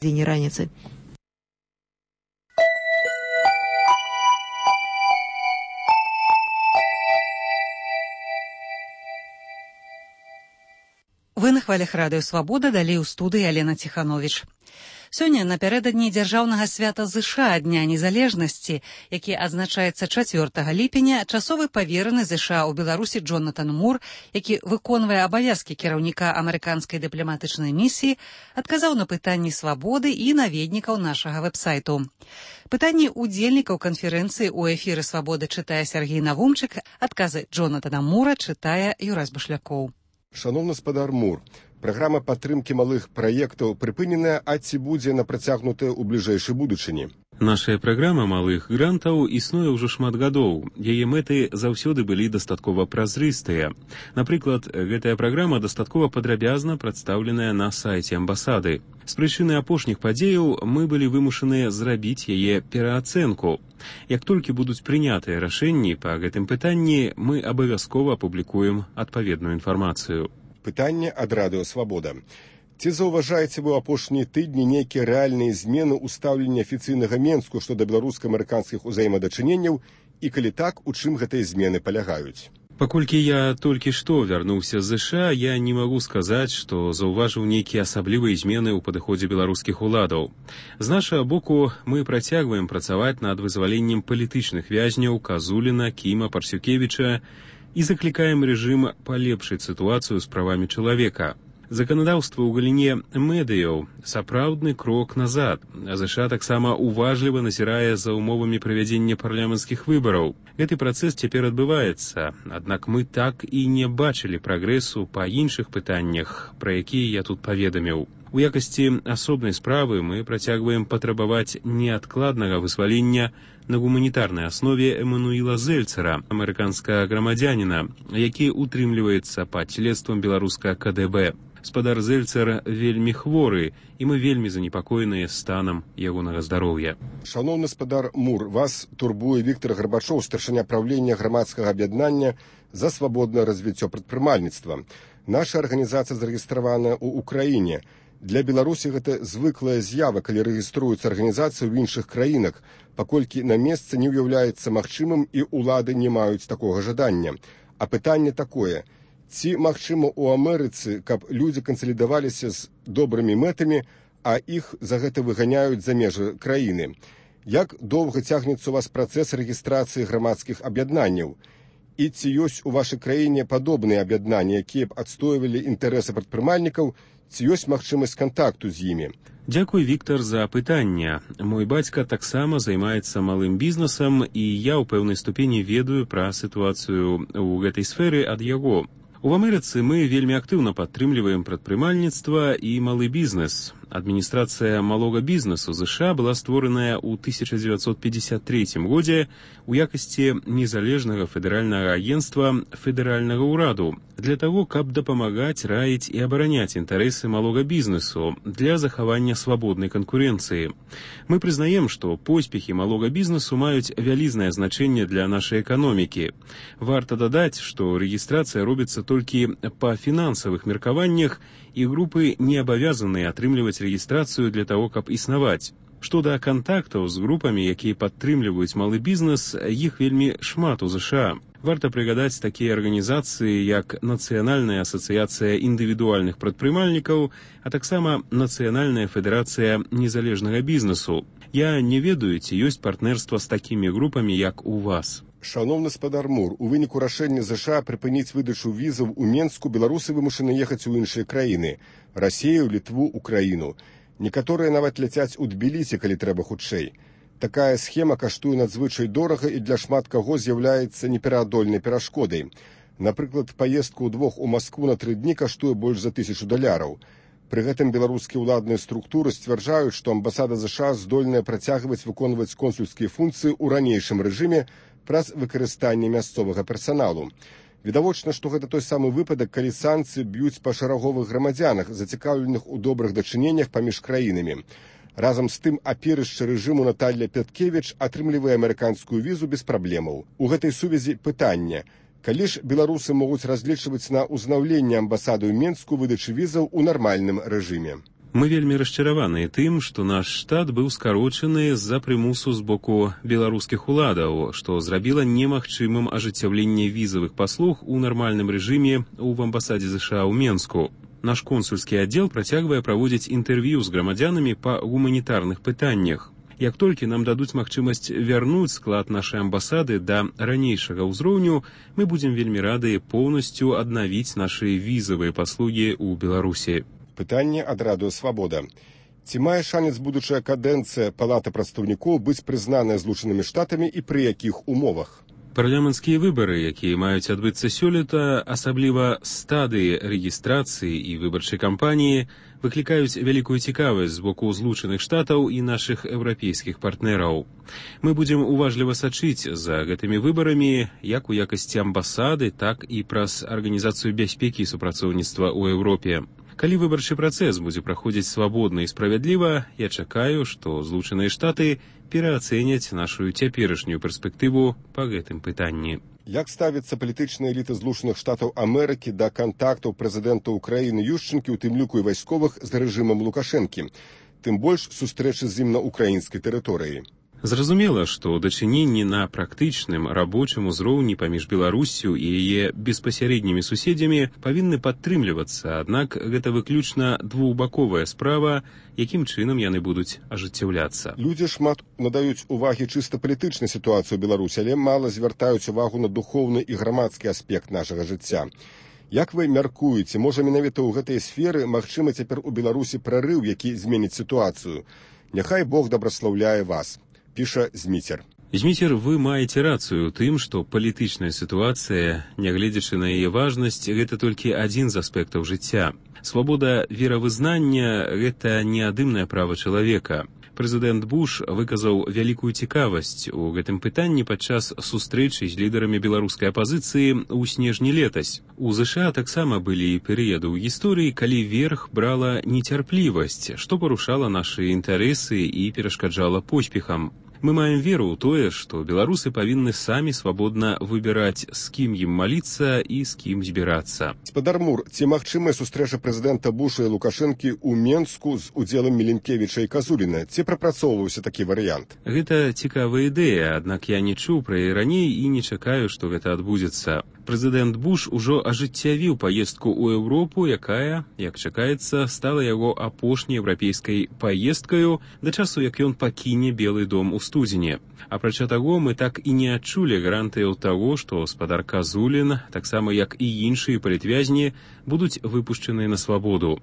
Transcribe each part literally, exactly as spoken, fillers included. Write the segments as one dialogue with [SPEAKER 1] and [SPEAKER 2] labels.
[SPEAKER 1] День раницы.
[SPEAKER 2] Вы на хвалях радыё Свабода, далей у студыі Алена Ціхановіч. Сёння напярэдадні дзяржаўнага свята ЗША Дня незалежнасці, які адзначаецца чацвёртага ліпеня, часовы павераны ЗША ў Беларусі Джонатан Мур, які выконвае абавязкі кіраўніка амерыканскай дыпламатычнай місіі, адказаў на пытанні Свабоды і наведнікаў нашага вэб-сайту. Пытанні ўдзельнікаў канферэнцыі ў эфіры Свабоды чытае Сергей Навумчык, адказы Джонатана Мура чытае Юрась Башлякоў.
[SPEAKER 3] Шановны спадар Мур, праграма падтрымкі малых праектаў прыпыненая, а ці будзе на працягнутая ў бліжэйшай будучыні?
[SPEAKER 4] Нашая праграма малых грантаў існуе ўжо шмат гадоў. Яе мэты заўсёды былі дастаткова празрыстыя. Напрыклад, гэтая праграма дастаткова падрабязна прадстаўленая на сайце амбасады. З прычыны апошніх падзеяў мы былі вымушаныя зрабіць яе пераацэнку. Як толькі будуць прынятыя рашэнні па гэтым пытанні, мы абавязкова апублікуем адпаведную інфармацыю.
[SPEAKER 3] Пытанне ад радыё Свабода. Ці заўважаеце вы ў апошнія тыдні нейкія рэальныя змены ў стаўленні афіцыйнага Менску што да беларуска-амерыканскіх узаемадачыненняў і, калі так, у чым гэтыя змены палягаюць?
[SPEAKER 4] Паколькі я толькі што вярнуўся з ЗША, я не магу сказаць, што заўважыў нейкія асаблівыя змены ў падыходзе беларускіх уладаў. З нашага боку мы працягваем працаваць над вызваленнем палітычных вязняў Казуліна, Кіма, Парсюкевіча і заклікаем рэжым палепшыць сітуацыю з правамі чалавека. Заканадаўства ў галіне медыяў сапраўдны крок назад. ЗША таксама уважліва назірае за умовамі правядзення парламенцкіх выбараў. Гэты працэс цяпер адбываецца, аднак мы так і не бачылі прагрэсу па іншых пытаннях, пра якія я тут паведаміў. У якасці асобнай справы мы працягваем патрабаваць неадкладнага вызвалення на гуманітарнай аснове Эммануіла Зельцера, амерыканскага грамадзяніна, які утрымліваецца пад следствам беларускага ка дэ бэ. Спадар Зельцер вельмі хворы, і мы вельмі занепакоеныя станам ягонага здароўя.
[SPEAKER 3] Шановны спадар Мур, вас турбуе Віктор Гарбачоў, старшыня правлення грамадскага аб'яднання за свабоднае развіццё прадпрымальніцтва. Наша арганізацыя зарэгістраваная ў Украіне. Для Беларусі гэта звыклая з'ява, калі рэгіструюцца арганізацыі ў іншых краінах, паколькі на месцы не ўяўляецца магчымым і ўлады не маюць такога жадання. А пытанне такое: ці магчыма ў Амерыцы, каб людзі кансалідаваліся з добрымі мэтамі, а іх за гэта выганяюць за межы краіны? Як доўга цягнецца у вас працэс рэгістрацыі грамадскіх аб'яднанняў? І ці ёсць у вашай краіне падобныя аб'яднанні, якія б адстойвалі інтарэсы прадпрымальнікаў, ці ёсць магчымасць кантакту з імі?
[SPEAKER 4] Дзякуй, Віктор, за пытанне. Мой бацька таксама займаецца малым бізнесам, і я ў пэўнай ступені ведаю пра сітуацыю ў гэтай сферы ад яго. У Амерыцы мы вельмі актыўна падтрымліваем прадпрымальніцтва і малы бізнес. Адміністрацыя малога бізнесу ЗША была створаная ў тысяча дзевяцьсот пятьдесят третьем годзе ў якасці незалежнага федэральнага агенцтва федэральнага ўраду для таго, каб дапамагаць, раіць і абараняць інтарэсы малога бізнесу для захавання свабоднай канкурэнцыі. Мы прызнаем, што поспехі малога бізнесу маюць вялізнае значэнне для нашай эканомікі. Варта дадаць, што рэгістрацыя робіцца толькі па фінансавых меркаваннях, і групы не абавязаныя атрымліваць рэгістрацыю для таго, каб існаваць. Што да кантактаў з групамі, якія падтрымліваюць малы бізнес, іх вельмі шмат у ЗША. Варта прыгадаць такія арганізацыі, як Нацыянальная асацыяцыя індывідуальных прадпрымальнікаў, а таксама Нацыянальная федэрацыя незалежнага бізнесу. Я не ведаю, ці ёсць партнерства з такімі групамі, як у вас.
[SPEAKER 3] Шановны спадар Мур, у выніку рашэння ЗША прыпыніць выдачу візаў у Менску беларусы вымушаны ехаць у іншыя краіны – Расію, Літву, Украіну. Некаторыя нават ляцяць у Тбілісі, калі трэба хутчэй. Такая схема каштуе надзвычай дорага і для шмат каго з'яўляецца непераадольнай перашкодай. Напрыклад, паездка ўдвох у Маскву на тры дні каштуе больш за тысячу даляраў. Пры гэтым беларускія ўладныя структуры сцвярджаюць, што амбасада ЗША здольная працягваць выконваць консульскія функцыі ў ранейшым рэжыме праз выкарыстанне мясцовага персаналу. Відавочна, што гэта той самы выпадак, калі санкцыі б'юць па шараговых грамадзянах, зацікаўленых у добрых дачыненнях паміж краінамі. Разам з тым, аперышча рэжыму Наталля Пяткевіч атрымлівае амерыканскую візу без праблемаў. У гэтай сувязі пытанне: калі ж беларусы могуць разлічваць на ўзнаўленне амбасады ў Менску выдачы візаў у нармальным рэжыме?
[SPEAKER 4] Мы вельмі расчараваныя тым, што наш штат быў скарочаны з-за прымусу з боку беларускіх уладаў, што зрабіла немагчымым ажыццяўленне візавых паслуг у нармальным рэжыме ў амбасадзе ЗША ў Менску. Наш консульскі аддзел працягвае праводзіць інтэрв'ю з грамадзянамі па гуманітарных пытаннях. Як толькі нам дадуць магчымасць вярнуць склад нашай амбасады да ранейшага ўзроўню, мы будзем вельмі рады поўнасцю аднавіць нашы візавыя паслугі ў Беларусі.
[SPEAKER 3] Пытанне ад радыё «Свабода». Ці мае шанец будучая кадэнцыя Палаты прадстаўнікоў быць прызнаная Злучанымі Штатамі і пры якіх умовах?
[SPEAKER 4] Парламенцкія выбары, якія маюць адбыцца сёлета, асабліва стадыі рэгістрацыі і выбарчай кампаніі, выклікаюць вялікую цікавасць з боку Злучаных Штатаў і нашых еўрапейскіх партнераў. Мы будзем уважліва сачыць за гэтымі выбарамі як у якасці амбасады, так і праз Арганізацыю бяспекі і супрацоўніцтва ў Еўропе. Калі выбарчы працэс будзе праходзіць свабодна і справядліва, я чакаю, што Злучаныя Штаты пераацэняць нашу цяперашнюю перспектыву па гэтым пытанні.
[SPEAKER 3] Як ставіцца палітычная эліта Злучаных Штатаў Амерыкі да кантактаў прэзідэнта Ўкраіны Юшчэнкі, у тым ліку і вайсковых, з рэжымам Лукашэнкі, тым больш сустрэчы з ім на ўкраінскай тэрыторыі?
[SPEAKER 4] Зразумела, што дачыненні на практычным рабочым узроўні паміж Беларуссю і яе беспасярэднімі суседзямі павінны падтрымлівацца, аднак гэта выключна двухбаковая справа, якім чынам яны будуць ажыццяўляцца.
[SPEAKER 3] Людзі шмат надаюць увагі чыста палітычнай сітуацыі ў Беларусі, але мала звяртаюць увагу на духоўны і грамадскі аспект нашага жыцця. Як вы мяркуеце, можа менавіта ў гэтай сферы магчымы цяпер у Беларусі прарыў, які зменіць сітуацыю? Няхай Бог дабраслаўляе вас. Піша Зміцер.
[SPEAKER 4] Зміцер, вы маеце рацыю ў тым, што палітычная сітуацыя, нягледзячы на яе важнасць, гэта толькі адзін з аспектаў жыцця. Свабода веравызнання – гэта неадымнае права чалавека. Прэзідэнт Буш выказаў вялікую цікавасць у гэтым пытанні падчас сустрэчы з лідарамі беларускай апазіцыі ў снежні летась. У ЗША таксама былі перыяды ў гісторыі, калі верх брала нецярплівасць, што парушала нашы інтарэсы і перашкаджала поспехам. Мы маем веру ў тое, што беларусы павінны самі свабодна выбіраць, з кім ім маліцца і з кім збірацца.
[SPEAKER 3] Спадар Мур, ці магчымая сустрэча прэзідэнта Буша і Лукашэнкі ў Менску з удзелам Міленкевіча і Казуліна? Ці прапрацоўваўся такі варыянт?
[SPEAKER 4] Гэта цікавая ідэя, аднак я не чуў пра яе раней і не чакаю, што гэта адбудзецца. Прэзідэнт Буш ужо ажыццявіў паездку ў Еўропу, якая, як чакаецца, стала яго апошняй еўрапейскай паездкаю да часу, як ён пакіне Белы дом у студзені. Апрача таго, мы так і не адчулі гарантыяў таго, што спадар Казулін, таксама як і іншыя палітвязні, будуць выпушчаныя на свабоду.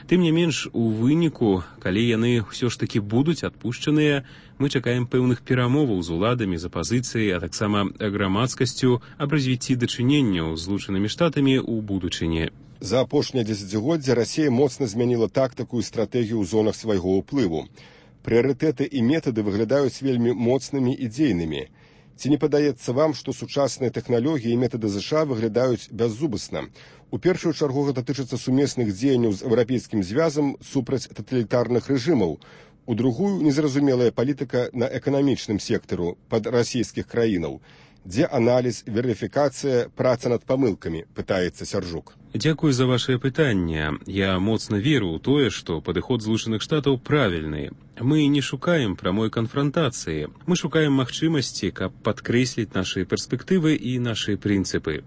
[SPEAKER 4] Тым не менш, у выніку, калі яны ўсё ж такі будуць адпушчаныя, мы чакаем пэўных перамоваў з уладамі, з апазіцыяй, а таксама грамадскасцю аб развіцці дачыненняў з Злучанымі Штатамі ў будучыні.
[SPEAKER 3] За апошняе дзесяцігоддзе Расія моцна змяніла тактыку і стратэгію ў зонах свайго ўплыву. Прыярытэты і метады выглядаюць вельмі моцнымі і дзейнымі. Ці не падаецца вам, што сучасныя тэхналогіі і метады ЗША выглядаюць бяззубасна? У першую чаргу гэта тычыцца сумесных дзеянняў з еўрапейскім звязам супраць таталітарных рэжымаў. У другую незразумелая палітыка на эканамічным сектару пад расійскіх краінаў. Дзе аналіз, верыфікацыя, праца над памылкамі, пытаецца Сяржук.
[SPEAKER 4] Дзякую за вашае пытанне. Я моцна веру ў тое, што падыход Злучаных Штатаў правільны. Мы не шукаем прамой канфрантацыі. Мы шукаем магчымасці, каб падкрэсліць нашы перспектывы і нашы прынцыпы.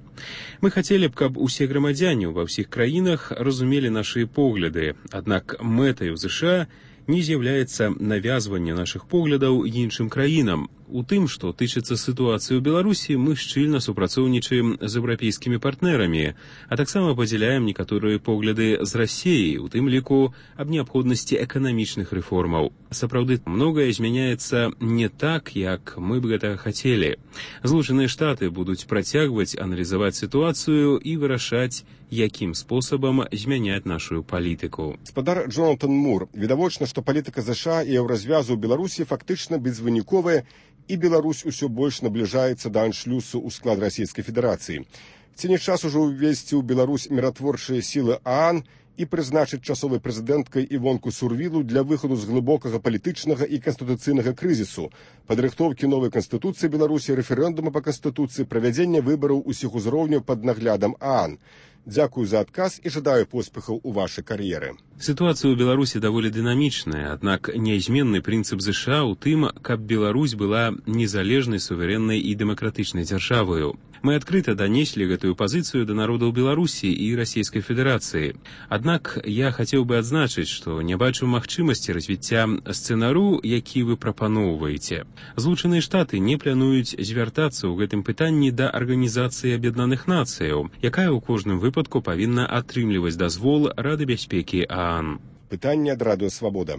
[SPEAKER 4] Мы хацелі б, каб усе грамадзяне ва ўсіх краінах разумелі нашы погляды, аднак мэтаю ЗША не з'яўляецца навязванне нашых поглядаў іншым краінам. У тым, што тычыцца сітуацыі ў Беларусі, мы шчыльна супрацоўнічаем з еўрапейскімі партнерамі, а таксама падзяляем некаторыя погляды з Расіяй, у тым ліку аб неабходнасці эканамічных рэформаў. Сапраўды, многае змяняецца не так, як мы б гэта хацелі. Злучаныя Штаты будуць працягваць аналізаваць сітуацыю і вырашаць, якім спосабам змяняць нашу палітыку.
[SPEAKER 3] Спадар Джонатан Мур, відавочна, што палітыка ЗША і еўразвязу ў Беларусі фактычна безвыніковая, і Беларусь усё больш набліжаецца да аншлюсу ў склад Расійскай Федэрацыі. Ці не час ужо ўвесці ў Беларусь міратворчыя сілы ААН і прызначыць часовай прэзідэнткай Івонку Сурвілу для выхаду з глыбокага палітычнага і канстытуцыйнага крызісу, падрыхтоўкі новай канстытуцыі Беларусі, рэферэндума па канстытуцыі, правядзення выбараў усіх узроўняў пад наглядам ААН. Дзякую за адказ і жадаю поспехаў у вашай кар'еры.
[SPEAKER 4] Ситуацыя ў Беларусі даволі дынамічная, аднак нязменны прынцып ЗША ў тым, каб Беларусь была незалежнай, суверэннай і дэмакратычнай дзяржаваю. Мы адкрыта данеслі гэтую пазіцыю да народаў Беларусі і Расійскай Федэрацыі. Аднак я хацеў бы адзначыць, што не бачу магчымасці развіцця сцэнару, які вы прапаноўваеце. Злучаныя Штаты не плануюць звяртацца ў гэтым пытанні да Арганізацыі Аб'яднаных Нацыяў, якая ў кожным выпадку павінна атрымліваць дазвол Рады бяспекі ААН.
[SPEAKER 3] Пытанне ад Радыё Свабода.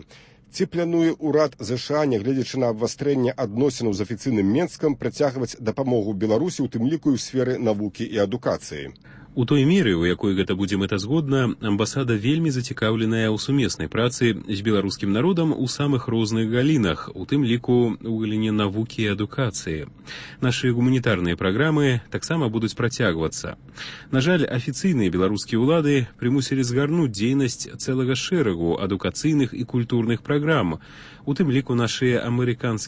[SPEAKER 3] Ці плануе ўрад ЗША, нягледзячы на абвастрэнне адносінаў з афіцыйным Менскам, працягваць дапамогу Беларусі, у тым ліку і ў сферы навукі і адукацыі?
[SPEAKER 4] У той меры, у якой гэта будзе мэтазгодна, амбасада вельмі зацікаўленая ў сумеснай працы з беларускім народам у самых розных галінах, у тым ліку ў галіне навукі і адукацыі. Нашы гуманітарныя праграмы таксама будуць працягвацца. На жаль, афіцыйныя беларускія ўлады прымусілі згарнуць дзейнасць цэлага шэрагу адукацыйных і культурных праграм, у тым ліку нашыя амерыканскія